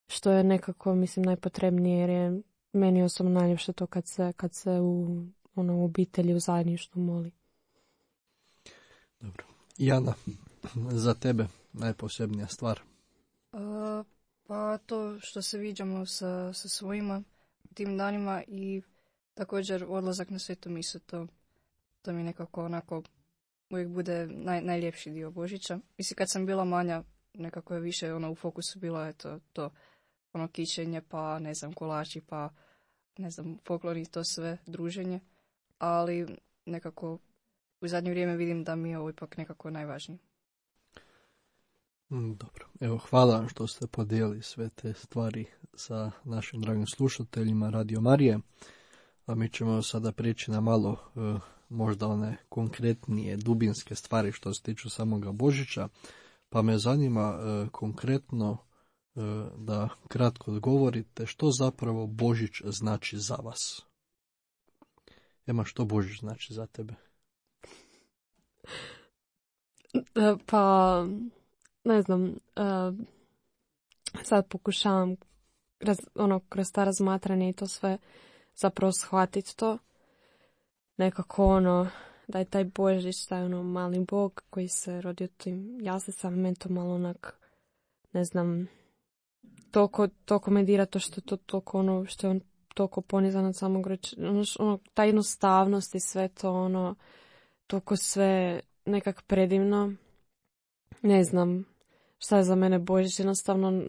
što je nekako, mislim, najpotrebnije, jer je meni osobno najljepše to kad se, kad se u, ono, u obitelji, u zajedništvu moli. Dobro. Jana, za tebe najposebnija stvar? Uh, pa to što se viđamo sa, sa svojima tim danima i također odlazak na svetu misu, to, to mi nekako onako uvijek bude naj, najljepši dio Božića. Mislim, kad sam bila manja, nekako je više ono u fokusu bilo eto, to ono kićenje, pa ne znam, kolači, pa ne znam, folklor i to sve, druženje. Ali nekako u zadnje vrijeme vidim da mi je ovo ipak nekako najvažnije. Dobro, evo, hvala vam što ste podijelili sve te stvari sa našim dragim slušateljima Radio Marije. A mi ćemo sada prijeći na malo e, možda one konkretnije, dubinske stvari što se tiču samoga Božića. Pa me zanima e, konkretno e, da kratko odgovorite što zapravo Božić znači za vas. Ema, što Božić znači za tebe? Pa, ne znam, uh, sad pokušavam raz, ono, kroz ta razmatranje i to sve zapravo shvatiti to. Nekako ono, da je taj Božić, taj ono mali Bog koji se rodio tim jaslicama, meni to malo onak, ne znam, toliko, toliko me dira to što je to toliko ono, što je on toliko ponizan od samog rođa, ono, ono, ta jednostavnost i sve to ono, toliko sve nekak predivno. Ne znam šta je za mene Božić, jednostavno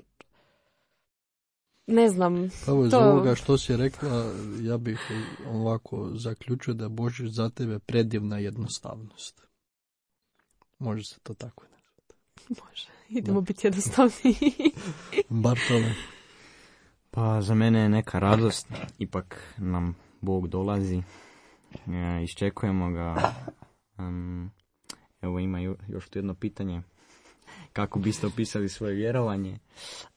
ne znam. Pa iz to... ovoga što si rekla, ja bih ovako zaključio da je Božić za tebe predivna jednostavnost. Može se to tako nazvati. Može, idemo da. Biti jednostavni. Bartole. Pa za mene je neka radost, ipak nam Bog dolazi, e, iščekujemo ga. Um, evo ima još tu jedno pitanje. Kako biste opisali svoje vjerovanje?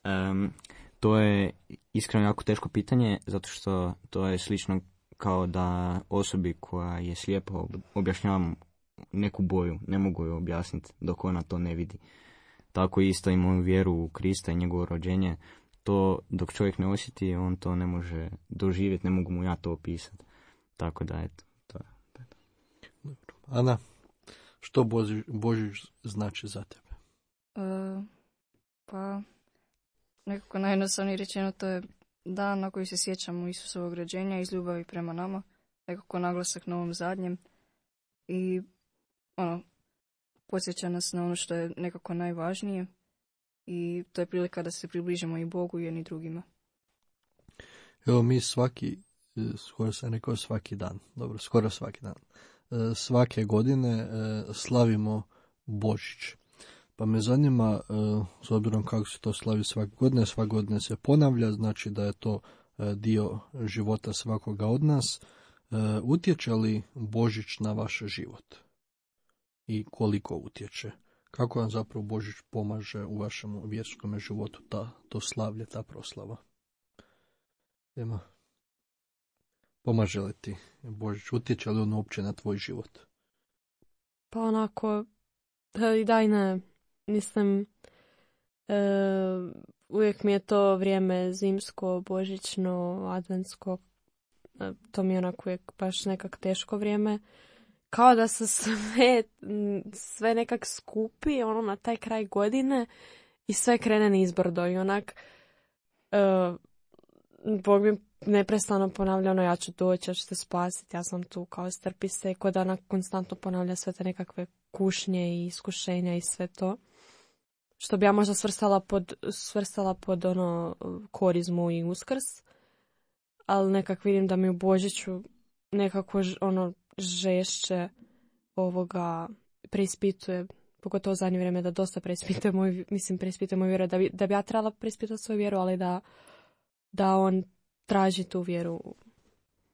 Um, to je iskreno jako teško pitanje, zato što to je slično kao da osobi koja je slijepa objašnjavam neku boju, ne mogu joj objasniti dok ona to ne vidi. Tako isto i moju vjeru u Krista i njegovo rođenje, to dok čovjek ne osjeti, on to ne može doživjeti, ne mogu mu ja to opisati. Tako da, eto, to je. Dobro. Ana, što Božić, Božić znači za tebe? Uh, pa, nekako najjednostavnije rečeno, to je dan na koji se sjećamo Isusovog rođenja iz ljubavi prema nama, nekako naglasak na ovom zadnjem i ono, podsjeća nas na ono što je nekako najvažnije i to je prilika da se približimo i Bogu i jedni drugima. Evo mi svaki, skoro sam rekao svaki dan, dobro, skoro svaki dan, svake godine slavimo Božić. Pa me zanima, s obzirom kako se to slavi svake godine, svake godine se ponavlja, znači da je to dio života svakoga od nas. Utječe li Božić na vaš život? I koliko utječe? Kako vam zapravo Božić pomaže u vašem vjerskom životu, ta, to slavlje, ta proslava? Ema, pomaže li ti Božić? Utječe li on uopće na tvoj život? Pa onako, i daj ne, mislim, e, uvijek mi je to vrijeme zimsko, božićno, adventsko, e, to mi je onako uvijek baš nekak teško vrijeme. Kao da se sve, sve nekak skupi ono na taj kraj godine i sve krene nizbrdo i onak e, Bog mi neprestano ponavlja ono ja ću doći, ja ću te spasiti, ja sam tu, kao strpi se, ko da ona konstantno ponavlja sve te nekakve kušnje i iskušenja i sve to. Što bi ja možda svrstala pod, svrstala pod ono korizmu i uskrs, ali nekak vidim da mi u Božiću nekako ono žešće ovoga preispituje, pogotovo u zadnje vrijeme da dosta preispituje moju, mislim preispituje moju vjeru, da bi, da bi ja trebala preispitati svoju vjeru, ali da, da on traži tu vjeru,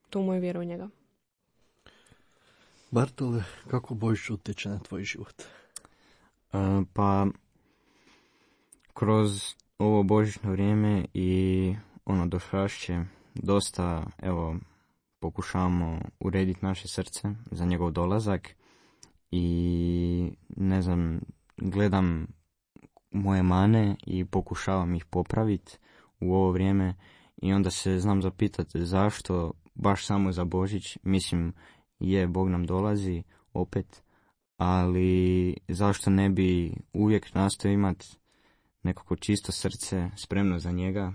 tu moju vjeru u njega. Bartole, kako Božić utječe na tvoj život? Uh, pa, kroz ovo božićno vrijeme i ono došašće, dosta, evo, pokušavamo urediti naše srce za njegov dolazak i, ne znam, gledam moje mane i pokušavam ih popraviti u ovo vrijeme i onda se znam zapitati zašto baš samo za Božić. Mislim, je, Bog nam dolazi opet, ali zašto ne bi uvijek nastao imati nekako čisto srce spremno za njega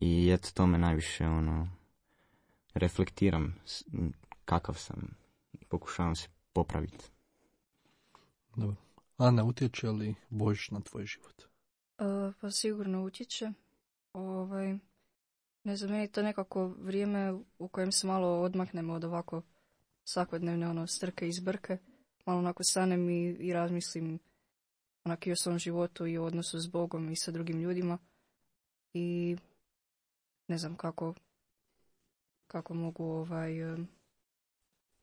i eto to me najviše ono reflektiram kakav sam i pokušavam se popraviti. Dobro. Ana, utječe li Božić na tvoj život? Uh, pa sigurno utječe. Ovaj, ne znam, meni je to nekako vrijeme u kojem se malo odmaknemo od ovako svakodnevne ono strke i zbrke. Malo onako stanem i, i razmislim onako i o svom životu i o odnosu s Bogom i sa drugim ljudima. I ne znam kako, kako mogu ovaj,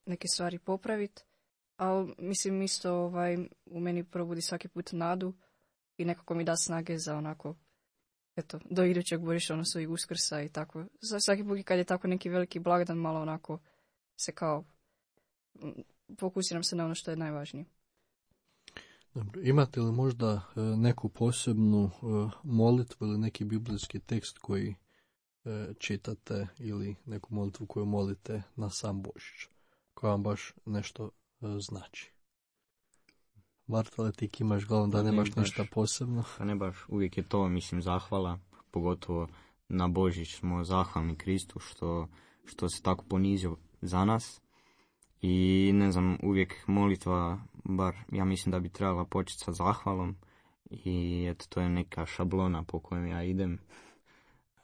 neke stvari popraviti. Ali mislim isto ovaj, u meni probudi svaki put nadu i nekako mi da snage za onako, eto, do idućeg Božića, odnosno i Uskrsa i tako. Svaki put kad je tako neki veliki blagdan, malo onako se kao fokusiram se na ono što je najvažnije. Dobro. Imate li možda neku posebnu molitvu ili neki biblijski tekst koji čitate ili neku molitvu koju molite na sam Božić, koja vam baš nešto znači? Bartole, ti imaš glavom da nemaš ništa posebno. Pa ne baš, uvijek je to, mislim, zahvala, pogotovo na Božić smo zahvalni Kristu što, što se tako ponizio za nas. I ne znam, uvijek molitva, bar ja mislim da bi trebala početi sa zahvalom i eto to je neka šablona po kojem ja idem.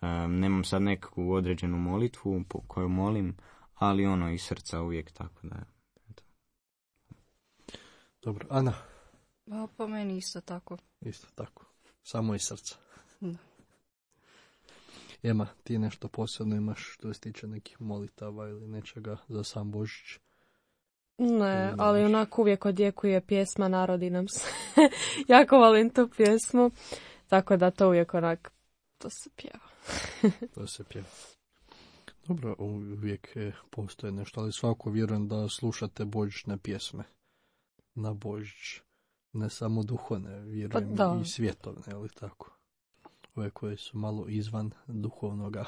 Um, nemam sad neku određenu molitvu po koju molim, ali ono iz srca uvijek tako da. Eto. Dobro, Ana? Pa po meni isto tako. Isto tako, samo iz srca. Da. Ema, ti nešto posebno imaš što se tiče nekih molitava ili nečega za sam Božić? Ne, ali onako uvijek odjekuje pjesma Narodi nam se. Jako volim tu pjesmu, tako da to uvijek onak, to se pjeva. To se pjeva. Dobro, uvijek postoje nešto, ali svako vjerujem da slušate božićne pjesme na Božić. Ne samo duhovne, vjerujem pa, i svjetovne, ali tako. Ove koje su malo izvan duhovnoga.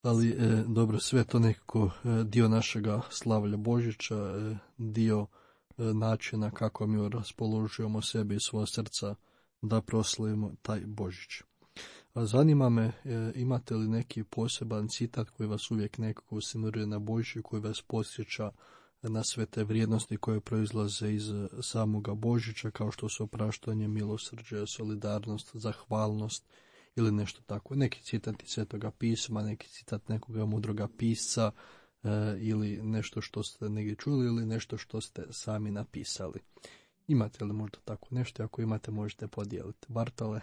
Ali, e, dobro, sve to nekako e, dio našega slavlja Božića, e, dio e, načina kako mi raspoložujemo sebi i svoje srca da proslavimo taj Božić. A zanima me, e, imate li neki poseban citat koji vas uvijek nekako usimiruje na Božić i koji vas podsjeća na sve te vrijednosti koje proizlaze iz samoga Božića, kao što su opraštanje, milosrđe, solidarnost, zahvalnost ili nešto tako. Neki citat iz Svetoga pisma, neki citat nekoga mudroga pisca e, ili nešto što ste negdje čuli ili nešto što ste sami napisali. Imate li možda tako nešto? Ako imate, možete podijeliti. Bartole?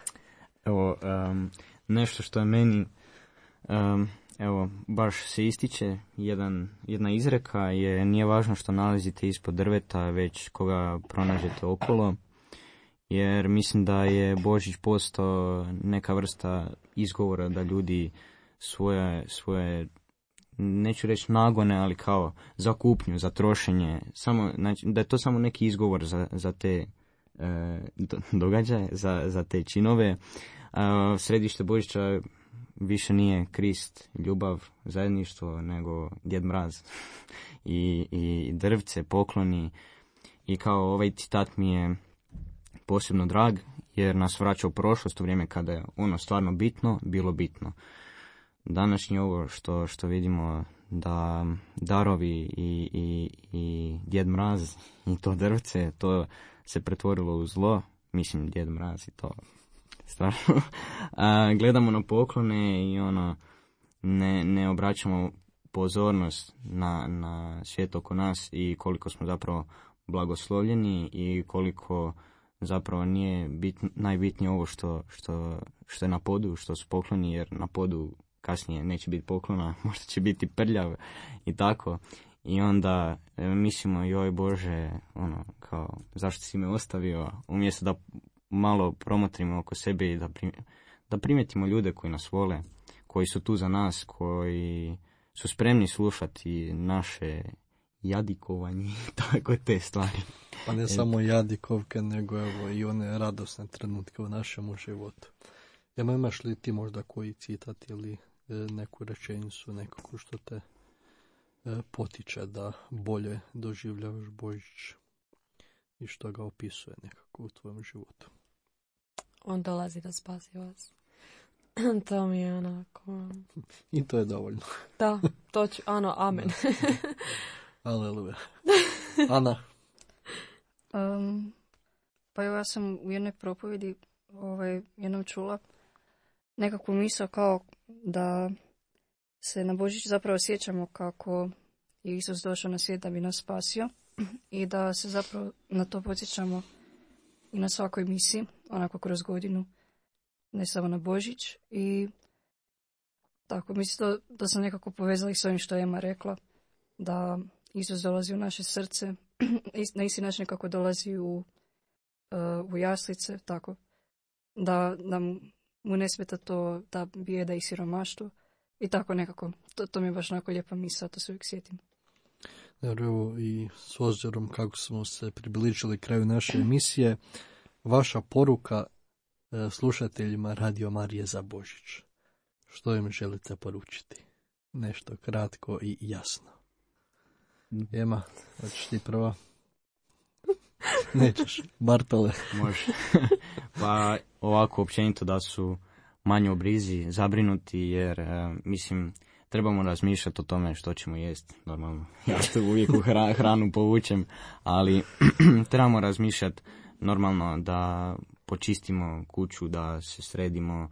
Evo, um, nešto što je meni um, evo, baš se ističe, jedan, jedna izreka je: nije važno što nalazite ispod drveta, već koga pronađete okolo. Jer mislim da je Božić postao neka vrsta izgovora da ljudi svoje, svoje neću reći nagone, ali kao za kupnju, za trošenje, samo, znači, da je to samo neki izgovor za, za te e, događaje, za, za te činove. A središte Božića više nije Krist, ljubav, zajedništvo, nego Djed Mraz i, i drvce, pokloni. I kao ovaj citat mi je posebno drag, jer nas vraća u prošlost, u vrijeme kada je ono stvarno bitno, bilo bitno. Današnje ovo što, što vidimo da darovi i, i, i Djed Mraz i to drvce, to se pretvorilo u zlo, mislim Djed Mraz i to stvarno. A, gledamo na poklone i ono, ne, ne obraćamo pozornost na, na svijet oko nas i koliko smo zapravo blagoslovljeni i koliko zapravo nije bit, najbitnije ovo što, što, što je na podu, što su pokloni, jer na podu kasnije neće biti poklona, možda će biti prljav i tako. i onda e, mislimo, joj Bože, ono, kao, zašto si me ostavio, umjesto da malo promotrimo oko sebe i da, prim, da primjetimo ljude koji nas vole, koji su tu za nas, koji su spremni slušati naše jadikovanje, tako te stvari. Pa ne samo jadikovke, nego evo i one radosne trenutke u našemu životu. Ema, imaš li ti možda koji citat ili e, neku rečenicu, nekako što te e, potiče da bolje doživljavaš Božić i što ga opisuje nekako u tvojom životu? On dolazi da spasi vas. To mi je onako... I to je dovoljno. Da, to ću, ano, amen. Aleluja. Ana? Um, pa evo, ja sam u jednoj propovjedi ovaj, jednom čula nekakvu misao kao da se na Božić zapravo sjećamo kako je Isus došao na svijet da bi nas spasio i da se zapravo na to podsjećamo i na svakoj misi, onako kroz godinu, ne samo na Božić. I tako, mislim da, da sam nekako povezala i s ovim što je Ema rekla, da Isus dolazi u naše srce, na isti način kako dolazi u, uh, u jaslice, tako, da, da mu ne smeta to, ta bijeda i siromaštvo i tako nekako. To, to mi je baš onako lijepa misao, to se uvijek sjetim. Evo, i s obzirom kako smo se približili kraju naše emisije, vaša poruka e, slušateljima Radio Marije za Božić. Što im želite poručiti? Nešto kratko i jasno. Ema, hoćeš ti prva? Nećeš, Bartole. Može. Pa ovako općenito da su manje u brizi, zabrinuti, jer e, mislim trebamo razmišljati o tome što ćemo jesti, normalno. Ja što uvijek u hra, hranu povučem, ali trebamo razmišljati normalno da počistimo kuću, da se sredimo,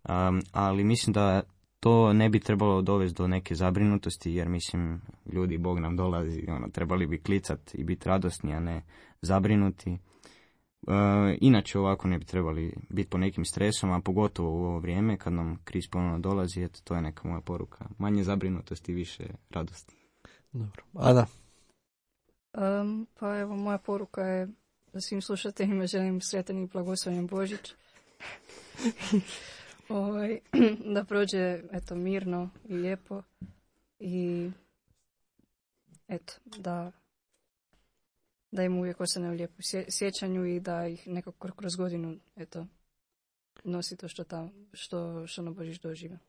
um, ali mislim da to ne bi trebalo dovesti do neke zabrinutosti, jer mislim, ljudi, Bog nam dolazi, ono, trebali bi klicati i biti radosni, a ne zabrinuti. Uh, inače ovako ne bi trebali biti po nekim stresom, a pogotovo u ovo vrijeme kad nam kriz ponovno dolazi, eto, to je neka moja poruka. Manje zabrinutosti, više radosti. Dobro. Ana? Um, pa evo, moja poruka je da svim slušateljima želim sretan i blagoslovljen Božić. Ovaj, da prođe, eto, mirno i lijepo i eto, da da im uvijek ostane u lijepu sjećanju i da ih nekako kroz godinu, eto, nosi to što, tam, što, što na Božić dožive.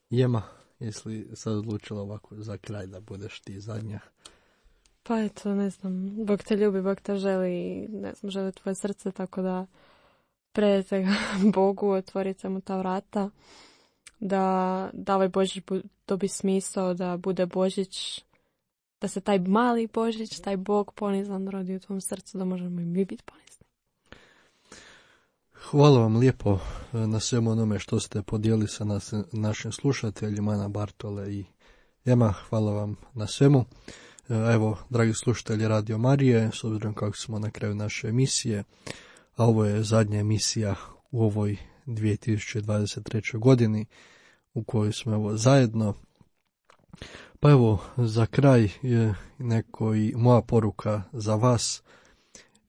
Jema, jesi li sad odlučila ovako za kraj da budeš ti zadnja? Pa eto, ne znam, Bog te ljubi, Bog te želi, ne znam, želi tvoje srce, tako da predajte ga Bogu, otvorite mu ta vrata, da, da ovaj Božić dobi smisao, da bude Božić, da se taj mali Božić, taj Bog ponizan rodi u tvom srcu, da možemo i mi biti ponizni. Hvala vam lijepo na svemu onome što ste podijeli sa nas, našim slušateljima, Ana, Bartole i Ema. Hvala vam na svemu. Evo, dragi slušatelji Radio Marije, s obzirom kako smo na kraju naše emisije, a ovo je zadnja emisija u ovoj dvije tisuće dvadeset trećoj godini u kojoj smo evo zajedno. Pa evo, za kraj je neko i moja poruka za vas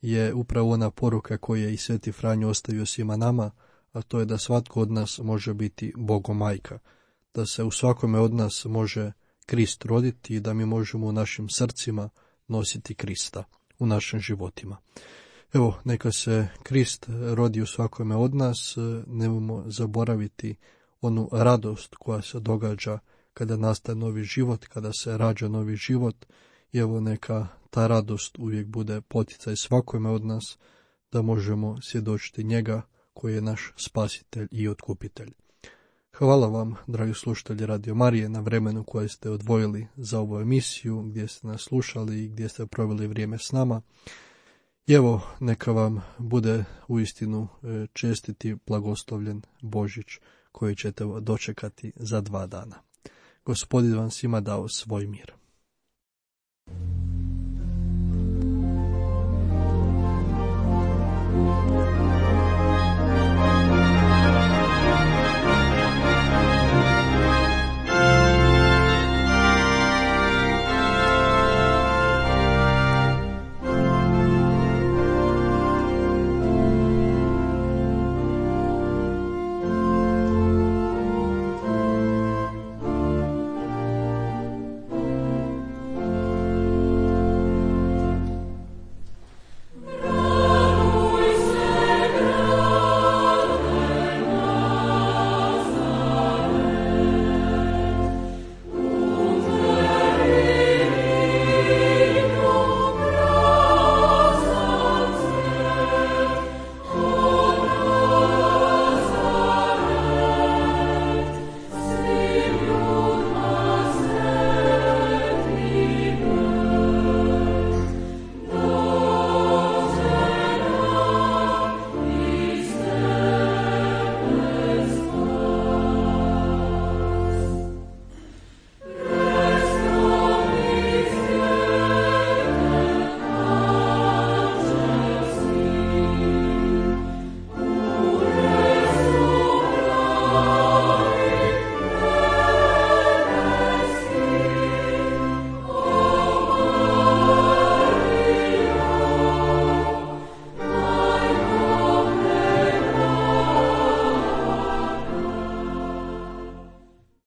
je upravo ona poruka koju je i Sveti Franjo ostavio svima nama, a to je da svatko od nas može biti Bogomajka, da se u svakome od nas može Krist roditi i da mi možemo u našim srcima nositi Krista u našim životima. Evo, neka se Krist rodi u svakome od nas, nemojmo zaboraviti onu radost koja se događa kada nastaje novi život, kada se rađa novi život, i evo neka ta radost uvijek bude poticaj svakome od nas da možemo svjedočiti njega koji je naš spasitelj i otkupitelj. Hvala vam, dragi slušatelji Radio Marije, na vremenu koje ste odvojili za ovu emisiju, gdje ste nas slušali i gdje ste proveli vrijeme s nama. I evo, neka vam bude uistinu čestiti blagoslovljen Božić koji ćete dočekati za dva dana. Gospodin vam svima dao svoj mir.